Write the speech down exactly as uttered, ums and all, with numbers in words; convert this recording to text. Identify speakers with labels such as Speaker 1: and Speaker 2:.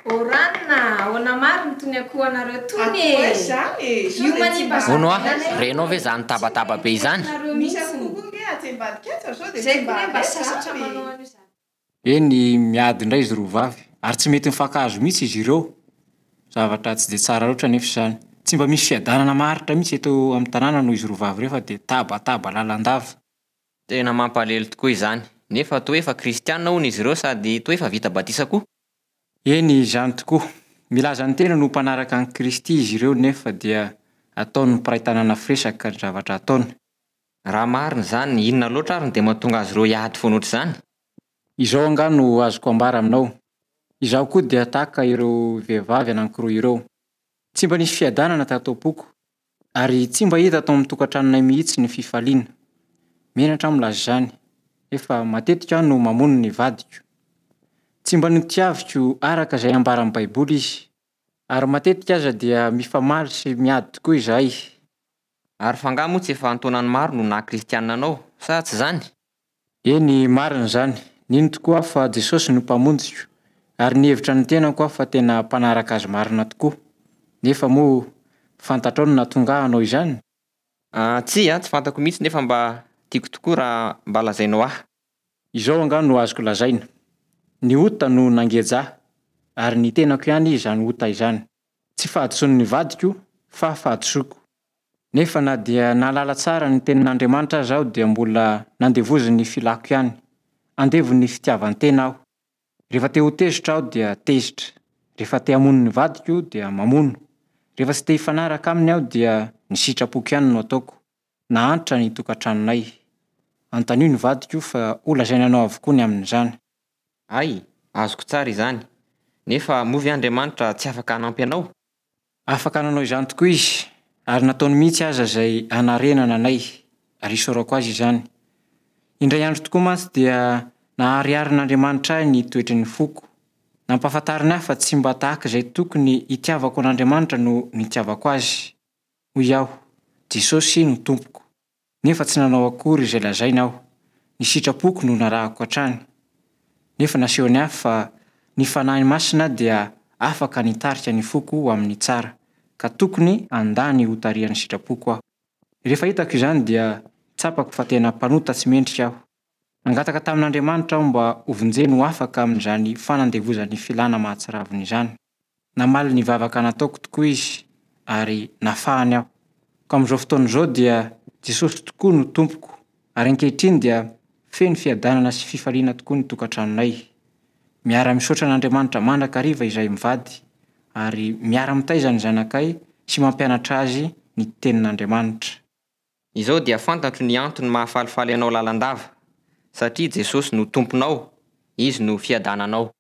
Speaker 1: Oranina, ahoana marina tony akohonareo tony e?
Speaker 2: Akoho izany e! Sao
Speaker 1: Io
Speaker 2: dia tsy
Speaker 1: manimba
Speaker 2: mba
Speaker 3: Hono aho,
Speaker 1: zaridaina
Speaker 3: renao ve izany tabataba be izany?
Speaker 1: nareo
Speaker 2: Misy
Speaker 1: mihitsy.
Speaker 2: akoho koa nge atsy ambadika atsy fa sao dia
Speaker 1: Zay
Speaker 2: tsy mba
Speaker 1: koa ne mba
Speaker 2: avy
Speaker 1: sasatra
Speaker 2: izany.
Speaker 1: manao an'io zany.
Speaker 4: Eny, miady indray izy roa vavy ary tsy mety mifankahazo mihitsy izy ireo. Zavatra tsy dia tsara loatra anefa izany. Tsy mba misy fiadanana maharitra mihitsy eto amin'ny tanàna noho izy roa vavy ireo fa dia tabataba lalandava.
Speaker 3: Tena mampalahelo tokoa izany. Nefa toa efa kristiana hono izy ireo sady toa efa vita batisa koa.
Speaker 4: Eny, izany tokoa. Milaza ny tenany ho mpanaraka an'i Kristy izy ireo nefa dia ataon'ny mpiray tanàna firesaka ny zavatra ataony.
Speaker 3: Raha marina izany, inona loatra ary no dia mahatonga azy ireo hiady foana ohatr'izany?
Speaker 4: Izao angaha no azoko ambara aminao. Izaho koa dia tahaka ireo vehivavy anankiroa ireo. Tsy mba nisy fiadanana tato am-poko ary tsy mba hita tao amin'ny tokantranonay mihitsy ny fifaliana. Menatra aho milaza izany, nefa matetika aho no mamono ny vadiko. Tsy mba notiaviko araka izay ambaran'ny Baiboly izy, ary matetika aza dia mifamaly sy miady tokoa izahay.
Speaker 3: Ary fa angaha moa tsy efa an-taonany maro no naha kristiana anao, sa tsy izany?
Speaker 4: Eny, marina izany. Nino tokoa aho fa Jesosy no mpamonjiko, ary nihevitra ny tenako aho fa tena mpanaraka azy marina tokoa. Nefa moa fantatrao ny nahatonga ahy hanao izany?
Speaker 3: Ah, tsia, tsy fantako mihitsy nefa mba tiako tokoa raha mba lazainao ahy.
Speaker 4: Izao angaha no azoko lazaina. Ny ota no nangeja ahy, ary ny tenako ihany izany ota izany. Tsy fahadisoan'ny vadiko fa fahadisoako. Nefa na dia nahalala tsara ny tenin'Andriamanitra aza aho dia mbola nandevozin'ny filako ihany. Andevon'ny fitiavan-tena aho. Rehefa te ho tezitra aho dia tezitra. Rehefa te hamono ny vadiko dia mamono. Rehefa tsy te hifanaraka aminy aho dia ny sitrapoko ihany no ataoko. Nahantra ny tokantranonay. Anontanio ny vadiko fa ho lazainy anao avokoa ny amin'izany.
Speaker 3: Ay, azoko tsara izany. Nefa moa ve Andriamanitra tsy afaka hanampy anao?
Speaker 4: Afaka nanao izany tokoa izy, ary nataony mihitsy aza izay hanarenana anay, ary isaorako azy izany. Indray andro tokoa mantsy dia nahariharin'Andriamanitra ahy ny toetry ny foko. Nampahafantariny ahy fa tsy mba tahaka izay tokony hitiavako an'Andriamanitra no nitiavako azy. Hoy aho, Jesosy no tompoko. Nefa tsy nanao akory izay lazainy aho. Ny sitrapoko no narahako hatrany. Nefa nasehony ahy fa ny Fanahy Masina dia afaka nitarika ny foko ho amin'ny tsara, ka tokony handà ny hotarihan'ny sitrapoko aho. Rehefa hitako izany dia tsapako fa tena mpanota tsy mendrika aho. Nangataka tamin'Andriamanitra aho mba hovonjeny ho afaka amin'izany fanandevozan'ny filàna mahatsiravina izany. Namaly ny vavaka nataoko tokoa izy ary nafahany aho. Ka amin'izao fotoana izao dia Jesosy tokoa no tompoko, ary ankehitriny dia feno fiadanana sy fifaliana tokoa ny tokantranonay. Miara-misaotra an'Andriamanitra mandrakariva izahay mivady, ary miara-mitaiza ny zanakay sy mampianatra azy ny tenin'Andriamanitra.
Speaker 3: Izao dia fantatro ny antony mahafalifaly anao lalandava, satria Jesosy no tomponao, izy no fiadananao.